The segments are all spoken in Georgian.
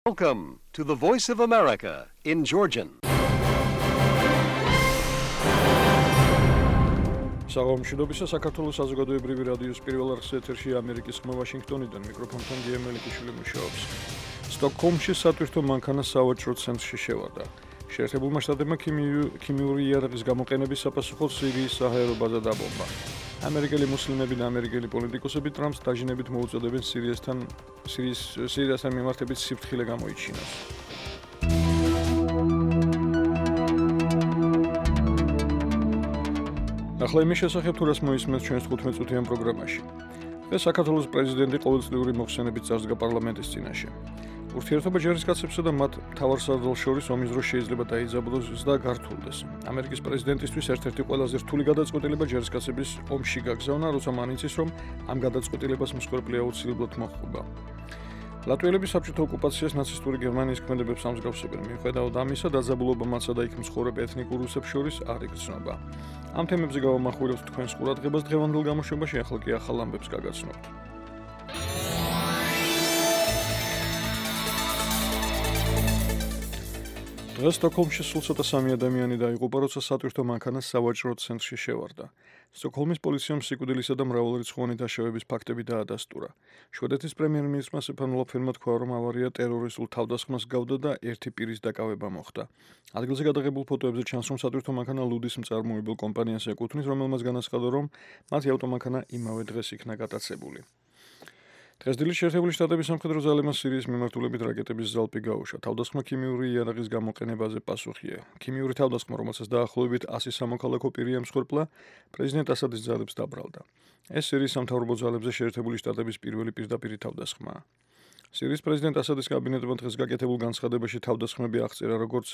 Welcome to the Voice of America in Georgian. საღამოშიდობისა საქართველოს საზოგადოებრივი რადიოს პირველ არხის ეთერში ამერიკის ხმა ვაშინგტონიდან მიკროფონთან გიემელიკიშვილი მუშაობს. სტოკჰოლმში სატვირთო მანქანა სავაჭრო ცენტრში შევარდა. შეერთებულმა შტატებმა ქიმიური იარაღის გამოყენების საპასუხოდ სირიის საჰაერო ბაზა დაბომბა. ამერიკელი მუსლიმები და ამერიკელი პოლიტიკოსები ტრამპს დაჟინებით მოუწოდებენ სირიასთან მიმართებით სიფრთხილე გამოიჩინოს. ახლა იმის შესახებ თუ რას მოისმენთ ჩვენს 15-წუთიან პროგრამაში. დღეს საქართველოს პრეზიდენტი ყოველწლიური მოხსენებით წარსდგა პარლამენტის წინაშე. ურთიერთობა ჯარისკაცებსა და მათ მთავარსარდალს შორის ომის დროს შეიძლება დაიძაბულოს და გართულდეს. ამერიკის პრეზიდენტისთვის ერთ-ერთი ყველაზე რთული გადაწყვეტილება ჯარისკაცების ომში გაგზავნა, როცა მან იცის, რომ ამ გადაწყვეტილებას მსხვერპლი აუცილებლად მოჰყვება. ლატვიელები საბჭოთა ოკუპაციას ნაცისტური გერმანიის ქმედებებს ამსგავსებენ. მიუხედავად ამისა, დაძაბულობა მათსა და იქ მსხურებ ეთნიკურ რუსებს შორის არ იგრძნობა. ამ თემებზე გავამახვილებთ თქვენს ყურადღებას დღევანდელ გამოშვებაში, ახლა კი ახალ ამბებს გაგაცნობთ. დღეს სტოკჰოლმში სულ ცოტა 3 ადამიანი დაიღუპა, როცა სატვირთო მანქანა სავაჭრო ცენტრში შევარდა. სტოკჰოლმის პოლიციამ სიკვდილისა და მრავალრიცხოვანი დაშავების ფაქტები დაადასტურა. შვედეთის პრემიერ-მინისტრმა სტეფან ლოფენმა თქვა, რომ ავარია ტერორისტულ თავდასხმას გავდა და ერთი პირის დაკავება მოხდა. ადგილზე გადაღებულ ფოტოებზე ჩანს, რომ სატვირთო მანქანა ლუდის მწარმოებელ კომპანიას ეკუთვნის, რომელმაც განაცხადა, რომ მათი ავტომანქანა იმავე დღეს იქნა გატაცებული. დღეს დილით შეერთებული შტატების სამხედრო ძალებმა სირიის მიმართულებით რაკეტების ზალპი გაუშვა. თავდასხმა ქიმიური იარაღის გამოყენებაზე პასუხია. ქიმიური თავდასხმა, რომელსაც დაახლოებით 100 სამოქალაქო პირია მსხვერპლა, პრეზიდენტ ასადის ძალებს დაბრალდა. ეს სირიის სამთავრობო ძალებზე შეერთებული შტატების პირველი პირდაპირი თავდასხმაა. სირიის პრეზიდენტ ასადის კაბინეტმა დღეს გაკეთებულ განცხადებაში თავდასხმები აღწერა როგორც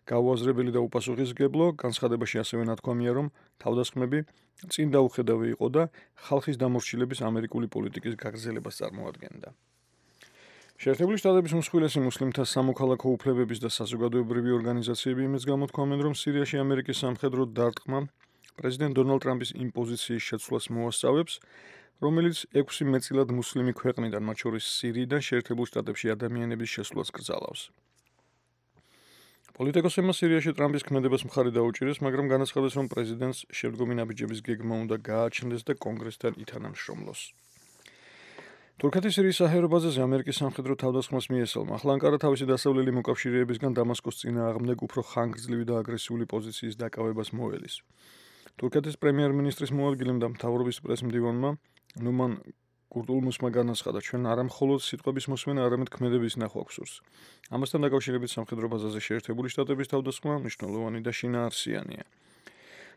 გაუაზრებელი და უპასუხისმგებლო. განცხადებაში ასევე ნათქვამია, რომ თავდასხმები წინ დაუხედავი იყო და ხალხის დამორჩილების ამერიკული პოლიტიკის გაგრძელებას წარმოადგენდა. შეერთებული შტატების უმსხვილესი მუსლიმთა სამოქალაქო უფლებების და საზოგადოებრივი ორგანიზაციები იმის გამოთქვამენ, რომ სირიაში ამერიკის სამხედრო დარტყმა პრეზიდენტ დონალდ ტრამპის იმპოზიციის შეცვლას მოასწავებს, რომელიც 6 მეტწილად მუსლიმი ქვეყნიდან, მათ შორის სირიიდან შეერთებულ შტატებში ადამიანების შესვლას კრძალავს. პოლიტიკოსებმა სირიაში ტრამპის ქმედებას მხარი დაუჭირეს, მაგრამ განაცხადეს, რომ პრეზიდენტს შემდგომი ნაბიჯების გეგმა უნდა გააჩნდეს და კონგრესთან ითანამშრომლოს. თურქეთის სირიის საჰაერო ბაზაზე ამერიკის სამხედრო თავდასხმას მიესალმა. ახლა ანკარა თავისი დასავლელი მოკავშირეებისგან დამასკოს წინააღმდეგ უფრო ხანგრძლივი და აგრესიული პოზიციის დაკავებას მოელის. თურქეთის პრემიერ-მინისტრის მოადგილემ და მთავრობის პრესმდივანმა ნუმან კურტულმუსმა განაცხადა, ჩვენ არა მხოლოდ სიტყვების მოსმენა, არამედ ქმედების ნახვა გვსურს. ამასთან დაკავშირებით სამხედრო ბაზაზე შეერთებული შტატების თავდასხმა მნიშვნელოვანი და შინაარსიანია.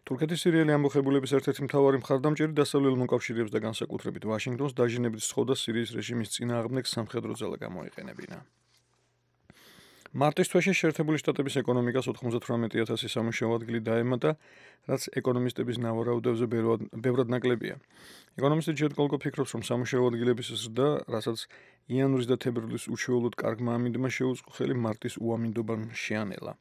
თურქეთის სირიელი ამბოხებულების ერთ-ერთი მთავარი მხარდამჭერი დასავლელ მოკავშირეებს და განსაკუთრებით ვაშინგტონს დაჟინებით სთხოვდა სირიის რეჟიმის წინააღმდეგ სამხედრო ძალა გამოეყენებინა. მარტის თვეში შეერთებული შტატების ეკონომიკას 98,000 სამუშაო ადგილი დაემატა, რაც ეკონომისტების ნავარაუდებზე ბევრად ნაკლებია. ეკონომისტი ჯედ კოლკო ფიქრობს, რომ სამუშაო ადგილების ზრდა, რასაც იანვრის და თებერვლის უშუალოდ კარგმა ამინდმა შეუწყო ხელი მარტის უამინდობამ შეანელა.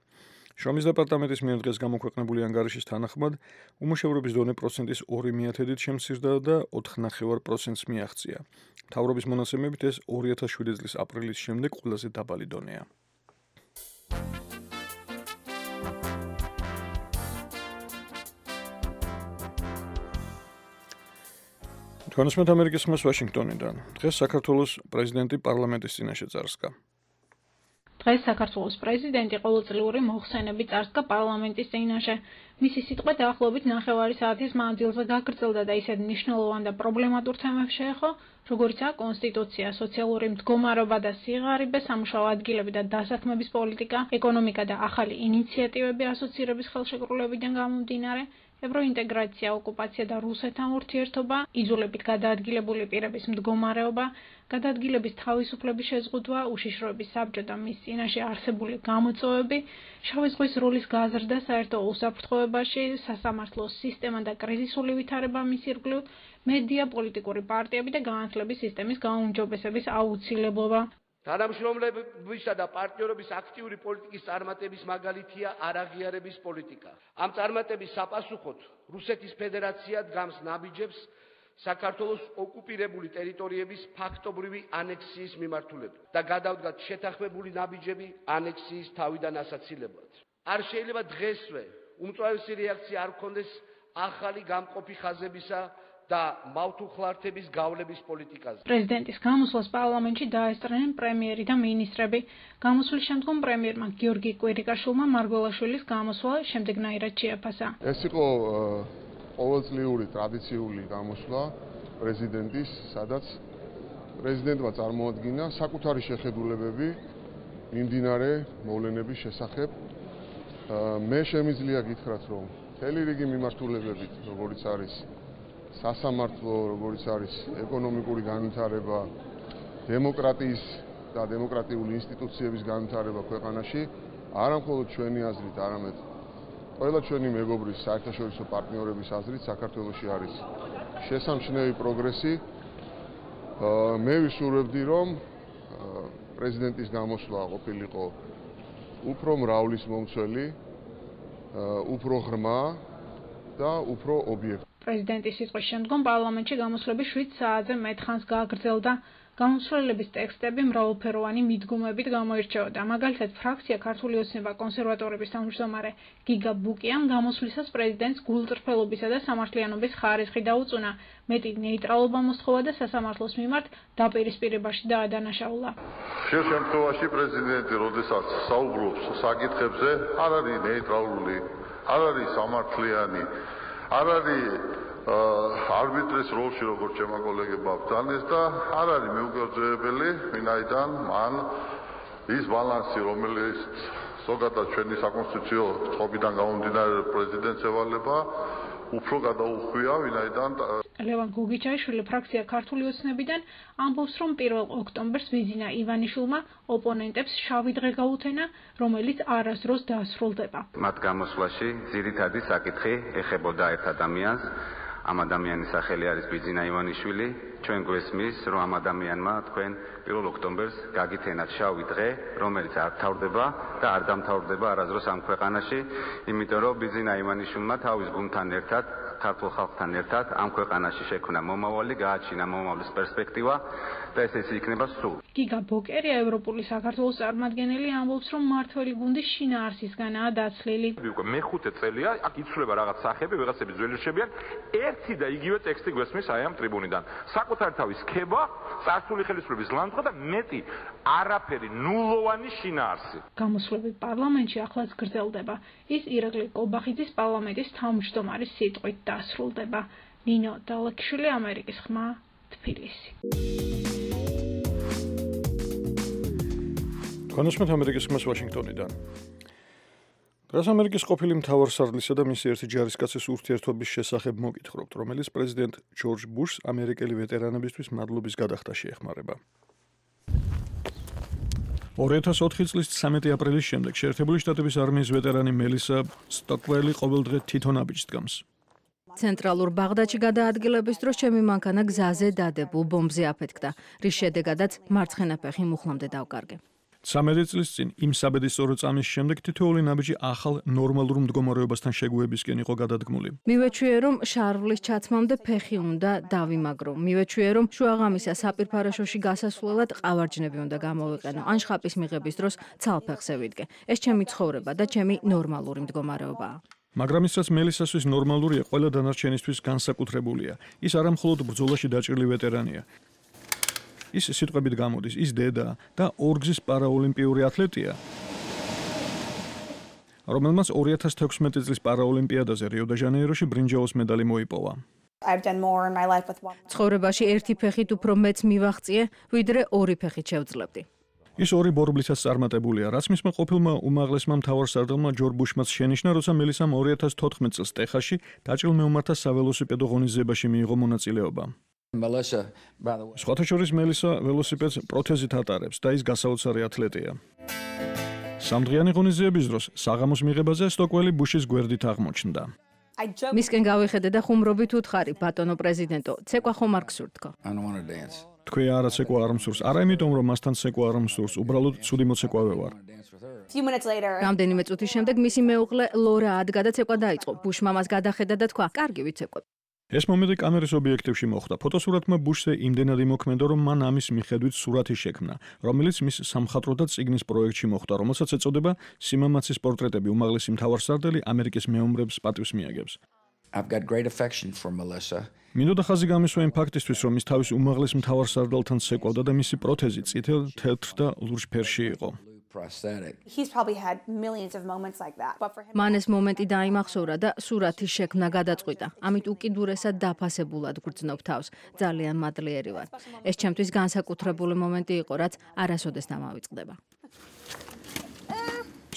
შრომის დეპარტამენტის მიერ დღეს გამოქვეყნებული ანგარიშის თანახმად, უმუშევრობის დონე პროცენტის 2,1-ით შემცირდა და 4,9%-ს მიაღწია. მთავრობის მონაცემებით ეს 2007 წლის აპრილის შემდეგ ყველაზე დაბალი დონეა. თქვენსმეთ ამერიკის ხმას ვაშინგტონიდან. დღეს საქართველოს პრეზიდენტი პარლამენტის წინაშე წარსდგა. დღეს საქართველოს პრეზიდენტი ყოველწლიური მოხსენებით წარსდგა პარლამენტის წინაშე. მისი სიტყვა დაახლოებით 9 საათის მანძილზე გაგრძელდა და ისეთ მნიშვნელოვან და პრობლემატურ თემებს შეეხო, როგორიცაა კონსტიტუცია, სოციალური მდგომარეობა და სიღარიბე, სამუშაო ადგილები და დასაქმების პოლიტიკა, ეკონომიკა და ახალი ინიციატივები ასოცირების ხელშეკრულებიდან გამომდინარე, ევროინტეგრაცია, ოკუპაცია და რუსეთთან ურთიერთობა, იძულებით გადაადგილებული პირების მდგომარეობა, გადაადგილების თავისუფლების შეზღუდვა, უშიშროების საბჭო და მის წინაშე არსებული გამოწვევები, შავი ზღვის როლის გაზრდა საერთო უსაფრთხოებაში, სასამართლოს სისტემა და კრიზისული ვითარება მის ირგვლივ, მედია, პოლიტიკური პარტიები და განათლების სისტემის გაუმჯობესების აუცილებლობა. თანამშრომლებისა და პარტნიორობის აქტიური პოლიტიკის წარმატების მაგალითია არაღიარების პოლიტიკა. ამ წარმატების საპასუხოდ რუსეთის ფედერაცია დგამს ნაბიჯებს საქართველოს ოკუპირებული ტერიტორიების ფაქტობრივი ანექსიის მიმართულებით და გადავდგათ შეთანხმებული ნაბიჯები ანექსიის თავიდან ასაცილებლად. არ შეიძლება დღესვე უმწვავესი რეაქცია არ გქონდეს ახალი გამყოფი ხაზებისა და მავთუხლართების გავლების პოლიტიკაზე. პრეზიდენტის გამოსვლას პარლამენტში დაესწრნენ პრემიერი და მინისტრები. გამოსვლის შემდგომ პრემიერმა გიორგი კვირიკაშვილმა მარგველაშვილის გამოსვლა შემდეგნაირად შეაფასა. ეს იყო ყოველწლიური ტრადიციული გამოსვლა პრეზიდენტის, სადაც პრეზიდენტმა წარმოადგინა საკუთარი შეხედულებები მიმდინარე მოვლენების შესახებ. მე შემიძლია გითხრათ, რომ მთელი რიგი მიმართულებებით, როგორიც არის სასამართლო, როგორიც არის ეკონომიკური განვითარება, დემოკრატიის და დემოკრატიული ინსტიტუციების განვითარება ქვეყანაში, არა მხოლოდ ჩვენი აზრით, არამედ ყველა ჩვენი მეგობრის საერთაშორისო პარტნიორების აზრით საქართველოში არის შესამჩნევი პროგრესი. მე ვისურვებდი, რომ პრეზიდენტის გამოსვლა ყოფილიყო უფრო მრავლის მომცველი, უფრო ღრმა და უფრო ობიექტური. პრეზიდენტის სიტყვის შემდგომ პარლამენტში გამოსვლები 7 საათზე მეტ ხანს გააგრძელდა. გამოსვლელების ტექსტები მრავალფეროვანი მიდგომებით გამოირჩეოდა. მაგალითად, ფრაქცია ქართული ოცნება კონსერვატორების თავმჯდომარე გიგა ბუკიამ გამოსვლისას პრეზიდენტს გულწრფელობისა და სამართლიანობის ხარისხი დაუწუნა. მეტი ნეიტრალობა მოსთხოვა და სასამართლოს მიმართ დაპირისპირებაში დაადანაშაულა. ხშირ შემთხვევაში პრეზიდენტი, როდესაც საუბრობს საკითხებზე, არ არის ნეიტრალური, არ არის სამართლიანი, არ არის არბიტრის როლში, როგორც ჩემო კოლეგებმა ბრძანეს და არ არის მიუგრძელებელი, ვინაიდან მან ის ბალანსი, რომელიც ზოგადად ჩვენი საკონსტიტუციო წყობიდან გამომდინარე პრეზიდენტს ევალება, უფრო გადაუხვია, ვინაიდან ლევან გოგიჩაიშვილი ფრაქცია ქართული ოცნებიდან ამბობს, რომ 1 ოქტომბერს ვიზინა ივანიშვილმა ოპონენტებს შავი დღე გაუთენა, რომელიც არასდროს დასრულდება. მათ გამოსვლაში ძირითადი საკითხი ეხებოდა ერთ ადამიანს. ამ ადამიანის სახელი არის ბიძინა ივანიშვილი. ჩვენ გვესმის, რომ ამ ადამიანმა თქვენ 1 ოქტომბერს გაგითენათ შავი დღე, რომელიც არ თავდება და არ დამთავრდება არასდროს ამ ქვეყანაში, იმიტომ რომ ბიძინა ივანიშვილმა თავის გუნდთან ერთად, ქართულ ხალხთან ერთად ამ ქვეყანაში შექმნა მომავალი, გააჩინა მომავლის პერსპექტივა და ეს იქნება სულ. გიგა ბოკერი, ევროპული საქართველოს წარმომადგენელი, ამბობს, რომ მმართველი გუნდი შინაარსისგანაა დაცლილი. მეხუთე წელია, აქ იცვლება რაღაც სახეები, ვიღაცები ძველი რჩებიან, ერთი და იგივე ტექსტი გვესმის აი ამ ტრიბუნიდან. საკუთარი თავის ქება, წარსული ხელისუფლების ლანძღვა და მეტი არაფერი, ნულოვანი შინაარსი. გამოსვლები პარლამენტში ახლაც გრძელდება. ის ირაკლი კობახიძის პარლამენტის თავმჯდომარის სიტყვით დასრულდება. ნინო დალექიშვილი, ამერიკის ხმა, თბილისი. განსმით ამერიკის ხმას ვაშინგტონიდან. დღეს ამერიკის ყოფილი მთავარსარდლისა და მისი ერთი ჯარისკაცის ურთიერთობის შესახებ მოგითხრობთ, რომელიც პრეზიდენტ ჯორჯ ბუშს ამერიკელი ვეტერანებისთვის მადლობის გადახდაში ეხმარება. 2004 წლის 13 აპრილის შემდეგ შეერთებული შტატების არმიის ვეტერანი მელისა სტოკველი ყოველდღე თვითონ აბიჯს დგამს. ცენტრალურ ბაღდადში გადაადგილების დროს ჩემი მანქანა გზაზე დადებულ ბომბზე აფეთქდა, რის შედეგადაც მარცხენა ფეხი მუხლამდე დავკარგე. 13 წლის წინ იმ საბედისწერო წამის შემდეგ თითოეული ნაბიჯი ახალ ნორმალურ მდგომარეობასთან შეგუებისკენ იყო გადადგმული. მივეჩვიე, რომ შარვლის ჩაცმამდე ფეხი უნდა დავიმაგრო. მივეჩვიე, რომ შუაღამისა საპირფარეშოში გასასვლელად ყავარჯნები უნდა გამოვიყენო, ან შხაპის მიღების დროს ცალფეხზე ვიდგე. ეს ჩემი ცხოვრება და ჩემი ნორმალური მდგომარეობაა. მაგრამ ისაც მელისასთვის ნორმალურია, ყველა დანარჩენისთვის განსაკუთრებულია. ის არა მხოლოდ ბრძოლაში დაჭრილი ვეტერანია. ის სიტყვებით გამოდის, ის დედა და ორგზის პარაოლიმპიური ათლეტია, რომელმაც 2016 წლის პარაოლიმპიადაზე რიო-დე-ჟანეიროში ბრინჯაოს медаლი მოიპოვა. ცხოვრებაში ერთი ფეხით უფრო მეც მივაღწიე, ვიდრე ორი ფეხით შევძლებდი. ის ორი ბორბლისას წარმატებულია, რაც მისმა ყოფილმა უმაღლესმა მთავარსარდალმა ჯორჯ ბუშმაც შენიშნა, როცა მელისამ 2014 წელს ტეხასში დაჭრილ მეომართა საველოსიპედო ღონისძიებაში მიიღო მონაწილეობა. სხვათა შორის მელისა ველოსიპედს პროთეზით ატარებს და ის გასაოცარი ათლეტია. სამდღიანი ღონისძიების დროს საღამოს მიღებაზე სტოკველი ბუშის გვერდით აღმოჩნდა. მისკენ გავიხედე და ხუმრობით უთხარი, ბატონო პრეზიდენტო, ცეკვა ხომ არ გსურთქო? თქვი არა ცეკვა არ მსურს, არა იმიტომ რომ მასთან ცეკვა არ მსურს, უბრალოდ ცუდი მოცეკვავე ვარ. რამდენიმე წუთის შემდეგ მისი მეუღლე ლორა ადგა და ცეკვა დაიწყო. ბუშმა მას გადახედა და თქვა: "კარგი ვიცეკვებ." ეს მომენტი კამერის ობიექტივში მოხვდა. ფოტოსურათმა ბუშზე იმდენად იმოქმედა, რომ მან ამის მიხედვით სურათი შექმნა, რომელიც მის სამხატვრო და წიგნის პროექტში მოხვდა, რომელსაც ეწოდება სიმამაცის პორტრეტები. უმაღლესი მთავარსარდალი ამერიკის მეომრებს პატივს მიაგებს. I've got great affection for Melissa. მინდოდა ხაზი გამისვა იმ ფაქტისთვის, რომ ის თავის უმაღლეს მთავარსარდალთან ცეკვავდა და მისი პროთეზი წითელ, თეთრ და ლურჯ ფერში იყო. He's probably had millions of moments like that. But for him მან ეს მომენტი დაიმახსოვრა და სურათის შექმნა გადაწყვიტა. ამით უკიდურესად დაფასებულად გრძნობ თავს, ძალიან მადლიერი ვარ. ეს ჩემთვის განსაკუთრებული მომენტი იყო, რაც არასოდეს დამავიწყდება.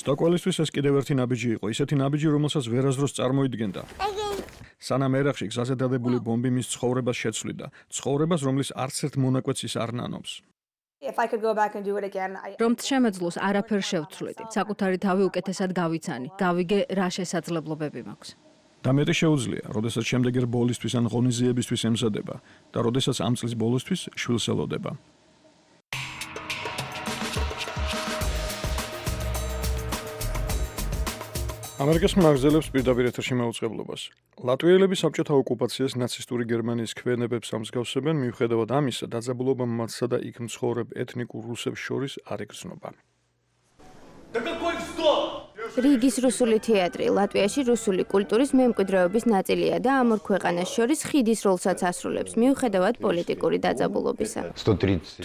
სტოკველისთვის ეს კიდევ ერთი ნაბიჯი იყო, ისეთი ნაბიჯი, რომელსაც ვერასდროს წარმოიდგენდა. სანამ ერახში გზაზე დადებული ბომბი მის ცხოვრებას შეცვლიდა, ცხოვრებას, რომლის არც ერთ მონაკვეთს ის არ ნანობს. if I could go back and do it again, რომ შემეძლოს არაფერს შევცვლიდი, საკუთარი თავი უკეთესად გავიცანი, გავიგე რა შესაძლებლობები მაქვს. და მეტი შეუძლია, როდესაც შემდეგ ერთ ბოლისთვის ან ღონისძიებისთვის ემზადება და როდესაც ამ წლის ბოლოსთვის შვილს ელოდება. ამერიკის მმართველებს პირდაპირ ეთერში მაუწყებლობას. ლატვიელები საბჭოთა ოკუპაციას ნაცისტური გერმანიის ქვენებებს ამსგავსებენ, მიუხედავად ამისა, დაძაბულობა მათსა და იქ მცხოვრებ ეთნიკურ რუსებს შორის არ იგრძნობა. რიგის რუსული თეატრი ლატვიაში რუსული კულტურის მემკვიდრეობის ნაწილია და ამ ორ ქვეყანას შორის ხიდის როლსაც ასრულებს, მიუხედავად პოლიტიკური დაძაბულობისა.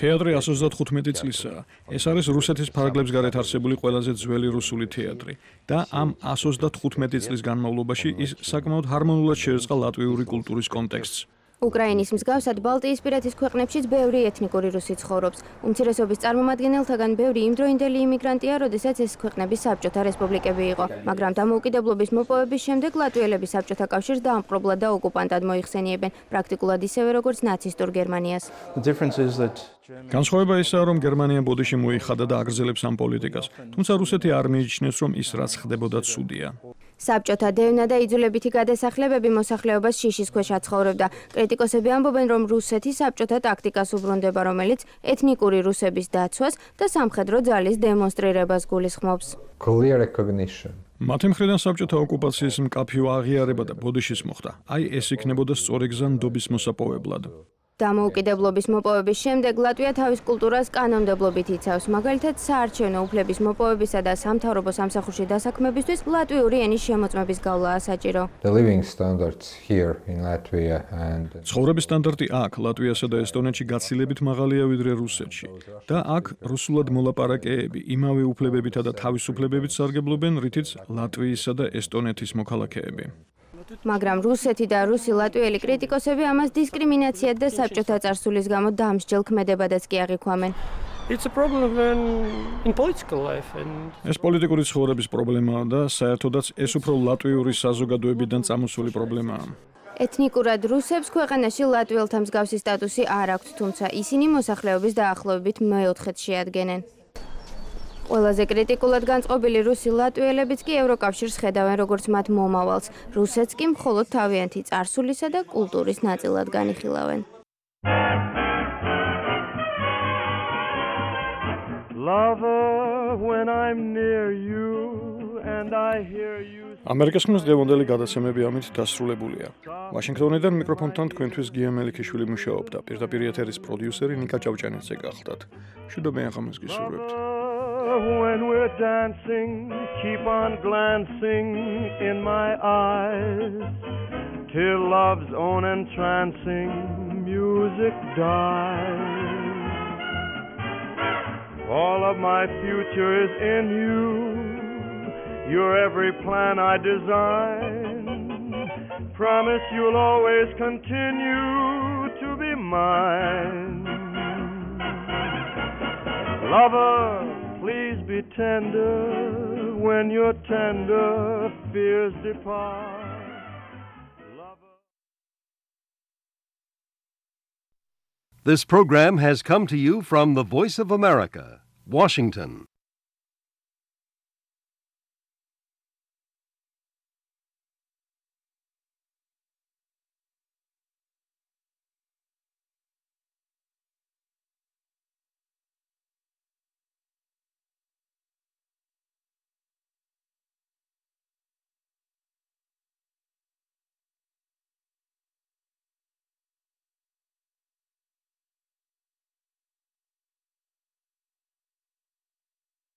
თეატრი 135 წლისაა. ეს არის რუსეთის ფარგლებს გარეთ არსებული ყველაზე ძველი რუსული თეატრი და ამ 135 წლის განმავლობაში ის საკმაოდ ჰარმონიულად შეერწყა ლატვიური კულტურის კონტექსტს. უკრაინის მსგავსად ბალტიისპირეთის ქვეყნებშიც ბევრი ეთნიკური რუსი ცხოვრობს. უმცირესობის წარმომადგენელთაგან ბევრი იმდროინდელი იმიგრანტია, როდესაც ეს ქვეყნები საბჭოთა რესპუბლიკები იყო. მაგრამ დამოუკიდებლობის მოპოვების შემდეგ ლატვიელები საბჭოთა კავშირს დაამპყრობლად და ოკუპანტად მოიხსენიებენ, პრაქტიკულად ისევე როგორც ნაცისტურ გერმანიას. განსხვავება ისაა, რომ გერმანია ბოდიში მოიხადა და აგრძელებს ამ პოლიტიკას, თუმცა რუსეთი არ მიიჩნევს, რომ ის რაც ხდებოდა ცუდია. საბჭოთა დევნა და იძულებითი გადასახლებები მოსახლეობას შიშის ქვეშ აცხოვრებდა. კრიტიკოსები ამბობენ, რომ რუსეთი საბჭოთა ტაქტიკას უბრუნდება, რომელიც ეთნიკური რუსების დაცვას და სამხედრო ძალის დემონსტრირებას გულისხმობს. მათი მხრიდან საბჭოთა ოკუპაციის მკაფიო აღიარება და ბოდიშის მოხდა. აი ეს იქნებოდა სწორი გზა ნდობის მოსაპოვებლად. დამოუკიდებლობის მოპოვების შემდეგ ლატვია თავის კულტურას კანონმდებლობით იცავს, მაგალითად საარჩევნო უფლების მოპოვებისა და სამთავრობო სამსახურში დასაქმებისთვის ლატვიური ენის შემოწმების გავლაა საჭირო. ცხოვრების სტანდარტი აქ, ლატვიასა და ესტონეთში გაცილებით მაღალია ვიდრე რუსეთში და აქ რუსულად მოლაპარაკეები იმავე უფლებებითა და თავისუფლებებით სარგებლობენ, რითიც ლატვიისა და ესტონეთის მოქალაქეები. მაგრამ რუსეთი და რუსი ლატვიელი კრიტიკოსები ამას დისკრიმინაციად და საბჭოთა წარსულის გამო დამსჯელ ქმედებადაც კი აღიქვამენ. ეს პოლიტიკური ცხოვრების პრობლემაა და საერთოდაც ეს უფრო ლატვიური საზოგადოებიდან წამოსული პრობლემაა. ეთნიკურად რუსებს ქვეყანაში ლატვიელთა მსგავსი სტატუსი არ აქვთ, თუმცა ისინი მოსახლეობის დაახლოებით მეოთხედს შეადგენენ. ყველაზე კრიტიკულად განწყობილი რუსი ლატვიელებიც კი ევროკავშირს ხედავენ როგორც მათ მომავალს. რუსეთს კი მხოლოდ თავიანთი წარსულისა და კულტურის ნაწილად განიხილავენ. ამერიკის ხმის დღევანდელი გადაცემები ამით დასრულებულია. ვაშინგტონიდან მიკროფონთან თქვენთვის გია მელიქიშვილი მუშაობდა. პირდაპირ ეთერის პროდიუსერი ნიკა ჭავჭანიძე გახლდათ. მშვიდობიან ღამეს გისურვებთ. When we're dancing, keep on glancing in my eyes, till love's own entrancing music dies. All of my future is in you, you're every plan I design. Promise you'll always continue to be mine. Lover, please be tender when your tender fears depart. This program has come to you from the Voice of America, Washington.